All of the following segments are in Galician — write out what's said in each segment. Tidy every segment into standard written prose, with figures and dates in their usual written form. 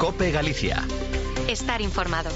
COPE Galicia. Estar informado.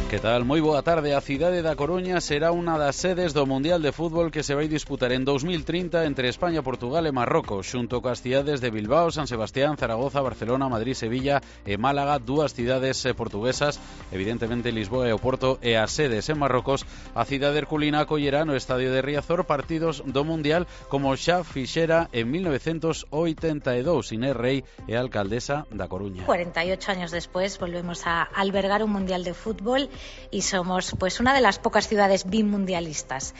Que tal? Moi boa tarde. A cidade da Coruña será unha das sedes do Mundial de Fútbol que se vai disputar en 2030 entre España, Portugal e Marrocos, xunto coas cidades de Bilbao, San Sebastián, Zaragoza, Barcelona, Madrid, Sevilla e Málaga, dúas cidades portuguesas, evidentemente Lisboa e o Porto, e as sedes en Marrocos. A cidade herculina acollerá no estadio de Riazor partidos do Mundial como xa fixera en 1982. Inés Rey é a alcaldesa da Coruña. 48 años después volvemos a albergar un Mundial de Fútbol y somos pues una de las pocas ciudades bimundialistas.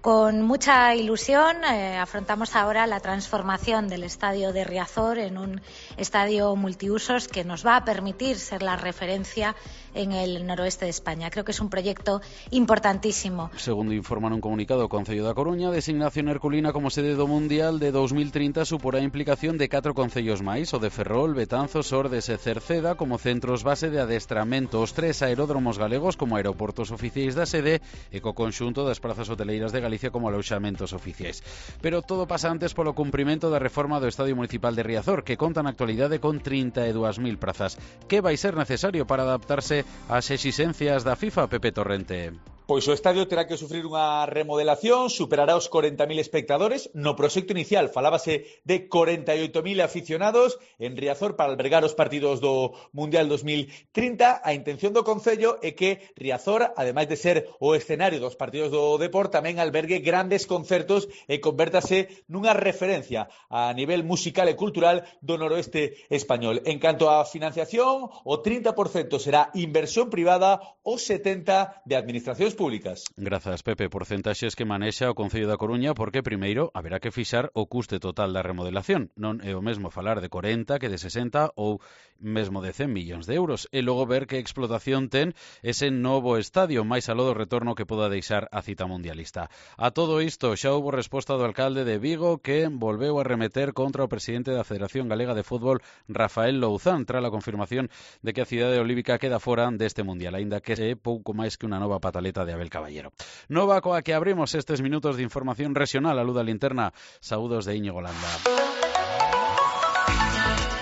Con mucha ilusión afrontamos ahora la transformación del estadio de Riazor en un estadio multiusos que nos va a permitir ser la referencia en el noroeste de España. Creo que es un proyecto importantísimo. Segundo informan un comunicado o Concello da Coruña, a designación herculina como sede do Mundial de 2030 suporá a implicación de 4 concellos máis, o de Ferrol, Betanzos, Ordes e Cerceda, como centros base de adestramento, os 3 aeródromos galegos como aeroportos oficiais da sede e co conxunto das prazas hoteleiras de Galicia como aloxamentos oficiais. Pero todo pasa antes polo cumprimento da reforma do Estadio Municipal de Riazor, que conta na actualidade con 32.000 prazas. Que vai ser necesario para adaptarse ás exixencias da FIFA, Pepe Torrente? Pois o estadio terá que sufrir unha remodelación, superará os 40.000 espectadores. No proxecto inicial falábase de 48.000 aficionados en Riazor para albergar os partidos do Mundial 2030. A intención do Concello é que Riazor, ademais de ser o escenario dos partidos do Depor, tamén albergue grandes concertos e convértase nunha referencia a nivel musical e cultural do noroeste español. En canto á financiación, o 30% será inversión privada, o 70% de administracións públicas. Grazas, Pepe. Porcentaxes que manexa o Concello da Coruña porque primeiro haberá que fixar o custe total da remodelación. Non é o mesmo falar de 40 que de 60 ou mesmo de 100 millóns de euros. E logo ver que explotación ten ese novo estadio, máis aló do retorno que poda deixar a cita mundialista. A todo isto xa houbo resposta do alcalde de Vigo, que volveu a remeter contra o presidente da Federación Galega de Fútbol, Rafael Louzán, tras a confirmación de que a cidade olívica queda fora deste mundial, aínda que é pouco máis que unha nova pataleta de Abel Caballero. Nova coa que abrimos estes minutos de información regional. A luz da linterna. Saúdos de Íñigo Landa.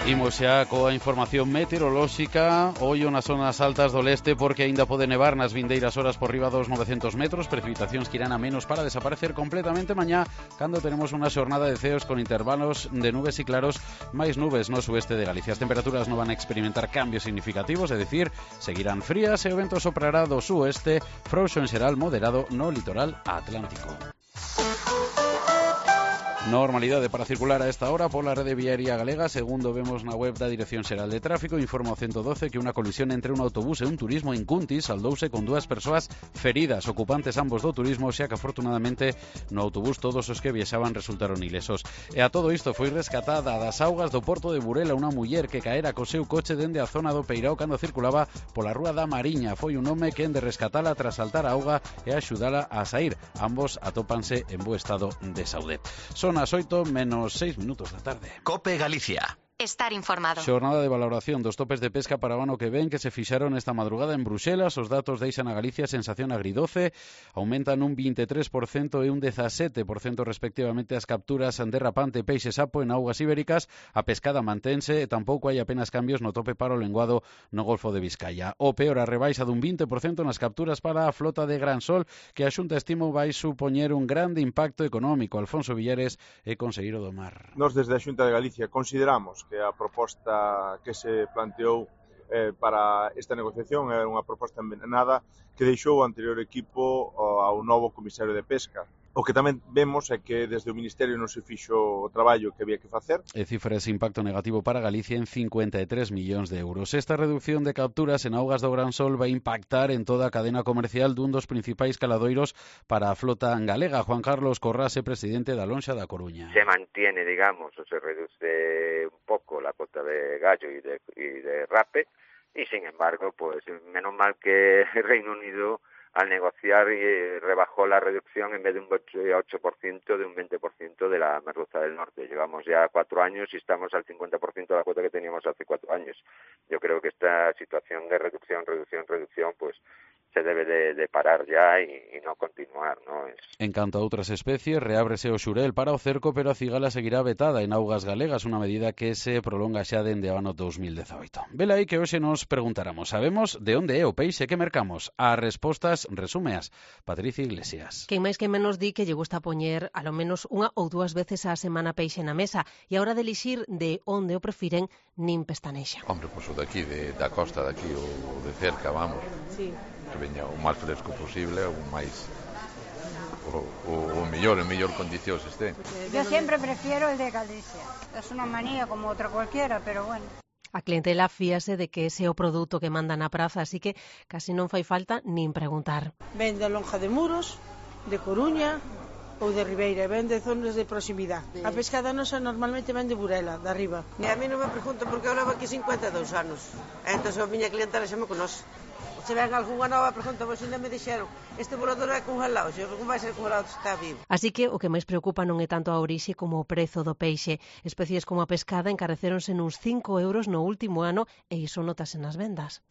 Imos xa coa información meteorolóxica. Ollo nas zonas altas do leste porque aínda pode nevar nas vindeiras horas por riba dos 900 metros. Precipitacións que irán a menos para desaparecer completamente mañá, cando tenemos unha xornada de ceos con intervalos de nubes e claros, máis nubes no sueste de Galicia. As temperaturas non van a experimentar cambios significativos, é dicir, seguirán frías e o vento soprará do sueste, frouxo en xeral moderado no litoral atlántico. Normalidade para circular a esta hora pola rede viaria galega. Segundo vemos na web da Dirección Xeral de Tráfico, informa o 112 que unha colisión entre un autobús e un turismo en Cuntis saldouse con 2 persoas feridas, ocupantes ambos do turismo, xa que afortunadamente no autobús todos os que viaxaban resultaron ilesos. E a todo isto foi rescatada das augas do porto de Burela unha muller que caera co seu coche dende a zona do Peirao cando circulaba pola Rúa da Mariña. Foi un home quen de rescatala tras saltar a auga e axudala a sair. Ambos atópanse en bo estado de saúde. Son as 8 menos 6 minutos da tarde. COPE Galicia. Estar informado. Xornada de valoración dos topes de pesca para o ano que ven que se fixaron esta madrugada en Bruxelas. Os datos deixan a Galicia sensación agridoce. Aumentan un 23% e un 17% respectivamente as capturas de rapante, peixe sapo en augas ibéricas. A pescada mantense e tampouco hai apenas cambios no tope para o lenguado no Golfo de Vizcaya. O peor, a rebaixa dun 20% nas capturas para a flota de Gran Sol, que a Xunta estimo vai supoñer un grande impacto económico. Alfonso Villares é conselleiro do mar. Nos desde a Xunta de Galicia consideramos que a proposta que se planteou para esta negociación é unha proposta envenenada que deixou o anterior equipo ao novo comisario de pesca. O que tamén vemos é que desde o Ministerio non se fixo o traballo que había que facer. E cifra ese impacto negativo para Galicia en 53 millóns de euros. Esta reducción de capturas en augas do Gran Sol vai impactar en toda a cadena comercial dun dos principais caladoiros para a flota galega. Juan Carlos Corrase, presidente da Lonxa da Coruña. Se mantiene, digamos, o se reduce un poco la cota de gallo y de rape, y sin embargo, pues menos mal que Reino Unido al negociar rebajó la reducción en vez de un 8%, de un 20% de la merluza del norte. Llevamos ya 4 años y estamos al 50% de la cuota que teníamos hace 4 años. Yo creo que esta situación de reducción, pues se debe de parar ya y no continuar, ¿no? En canto a outras especies, reábrese o xurel para o cerco, pero a cigala seguirá vetada en augas galegas, unha medida que se prolonga xa dende o ano 2018. Vela aí que hoxe nos preguntáramos, sabemos de onde é o peixe que mercamos? As respostas resúmeas Patricia Iglesias. Quen máis que menos di que lle gusta poñer alo menos unha ou dúas veces á semana peixe na mesa, e a hora de elixir de onde o prefiren nin pestanexa. Hombre, pois o daqui, da costa daqui, ou de cerca, vamos. Sí. Que veña o máis fresco posible, o máis o mellor, en mellor condicións este. Yo siempre prefiero el de Galicia. Es una manía como otra cualquiera, pero bueno. A clientela fíase de que ese é o produto que manda na praza, así que casi non fai falta nin preguntar. Ven de Lonja de Muros, de Coruña ou de Ribeira, ven de zonas de proximidade. A pescada nosa normalmente ven de Burela, de arriba. E a mí non me pregunto porque eu levo aquí 52 anos. Entón a miña clientela xa me conoce. Se ven algunha nova pregunta, pois ainda me dixeron este volador é congelado, se non vai ser congelado, está vivo. Así que o que máis preocupa non é tanto a orixe como o prezo do peixe. Especies como a pescada encarecéronse nuns 5 euros no último ano e iso notase nas vendas.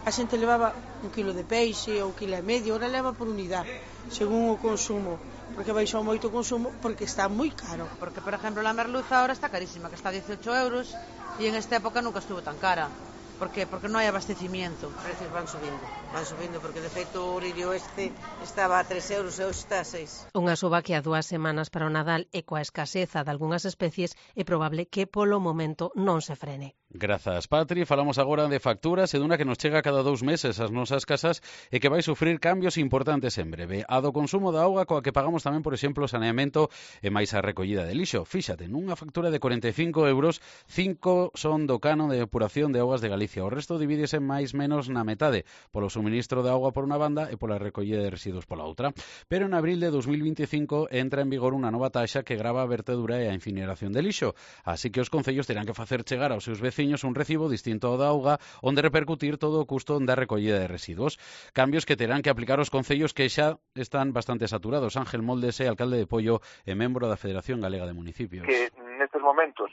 A xente levaba 1 kilo de peixe ou 1,5 kg, ora leva por unidade, según o consumo, porque baixou moito o consumo porque está moi caro. Porque, por exemplo, la merluza ahora está carísima, que está a 18 euros e en esta época nunca estuvo tan cara. ¿Por qué? Porque non hai abastecimiento. Os precios van subindo, porque de feito o lirio estaba a 3 euros e hoxe está a 6. Unha suba que a 2 semanas para o Nadal e coa escaseza de algunhas especies é probable que polo momento non se frene. Grazas, Patri. Falamos agora de facturas e dunha que nos chega cada 2 meses ás nosas casas e que vai sufrir cambios importantes en breve. A do consumo da auga coa que pagamos tamén, por exemplo, o saneamento e máis a recollida de lixo. Fíxate, nunha factura de 45 euros, 5 son do canon de depuración de augas de Galicia. O resto divídese máis menos na metade, polo suministro de auga por unha banda e pola recollida de residuos pola outra. Pero en abril de 2025 entra en vigor unha nova taxa que grava a vertedura e a incineración de lixo. Así que os concellos terán que facer chegar aos seus veciños un recibo distinto ao da auga onde repercutir todo o custo da recollida de residuos. Cambios que terán que aplicar os concellos que xa están bastante saturados. Ángel Moldes é alcalde de Pollo e membro da Federación Galega de Municipios. Que nestes momentos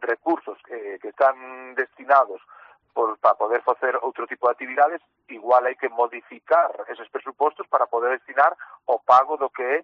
recursos que están destinados para poder facer outro tipo de actividades, igual hai que modificar eses presupostos para poder destinar o pago do que é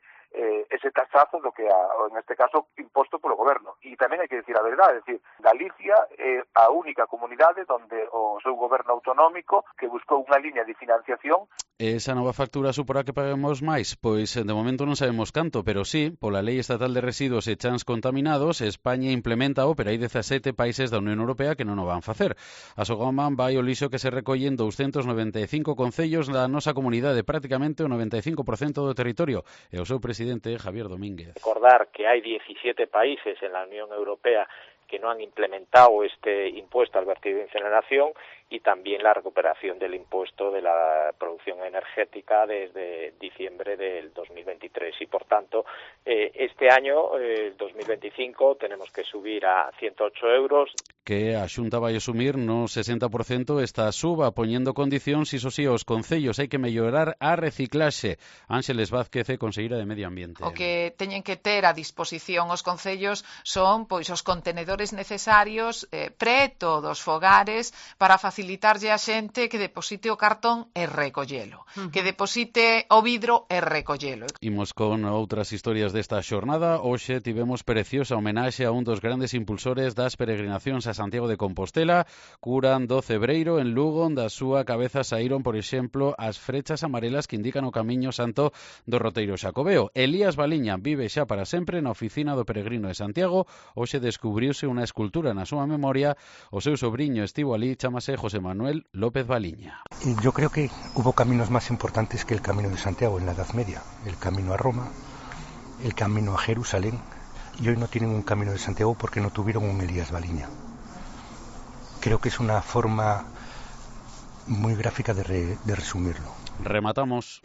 ese taxazo do que en este caso imposto polo goberno. E tamén hai que decir a verdade, é dicir, Galicia é a única comunidade onde o seu goberno autonómico que buscou unha liña de financiación. Esa nova factura suporá que paguemos máis? Pois de momento non sabemos canto, pero sí, pola Lei Estatal de Residuos e Chans Contaminados, España implementa pero hai 17 países da Unión Europea que non o van facer. A Sogoman vai o lixo que se recolle en 295 concellos da nosa comunidade, prácticamente o 95% do territorio, e o seu presidente Javier Domínguez. Recordar que hai 17 países en la Unión Europea que no han implementado este impuesto al vertido de incineración y también la recuperación del impuesto de la producción energética desde diciembre del 2023. Y, por tanto, este año, 2025, tenemos que subir a 108 euros. Que a Xunta vai asumir no 60% esta suba, poñendo condicións, iso sí, os concellos hai que mellorar a reciclaxe. Ángeles Vázquez, conselleira de Medio Ambiente. O que teñen que ter a disposición os concellos son pois os contenedores necesarios preto dos fogares para facilitarlle a xente que deposite o cartón e recollelo, que deposite o vidro e recollelo. Imos con outras historias desta xornada. Hoxe tivemos preciosa homenaxe a un dos grandes impulsores das peregrinacións a Santiago de Compostela. Curan do Cebreiro en Lugo, da súa cabeza saíron, por exemplo, as frechas amarelas que indican o camiño santo do roteiro xacobeo. Elías Baliña vive xa para sempre na oficina do peregrino de Santiago. Hoxe descubriuse unha escultura na súa memoria. O seu sobriño estivo ali, chámase José Manuel López Baliña. Yo creo que hubo caminos más importantes que el camino de Santiago en la Edad Media. El camino a Roma, el camino a Jerusalén, y hoy no tienen un camino de Santiago porque no tuvieron un Elías Baliña. Creo que es una forma muy gráfica de resumirlo. Rematamos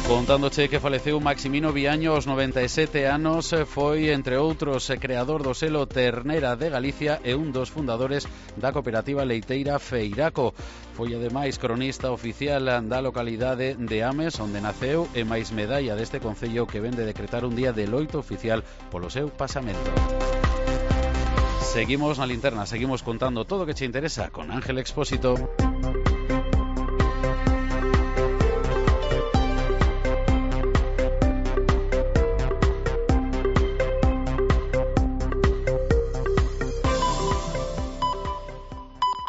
contándoche que faleceu Maximino Viaño aos 97 anos. Foi, entre outros, creador do selo Ternera de Galicia e un dos fundadores da cooperativa leiteira Feiraco. Foi, ademais, cronista oficial da localidade de Ames, onde naceu, e máis medalla deste concello que ven de decretar un día de loito oficial polo seu pasamento. Seguimos na linterna, seguimos contando todo o que che interesa con Ángel Expósito.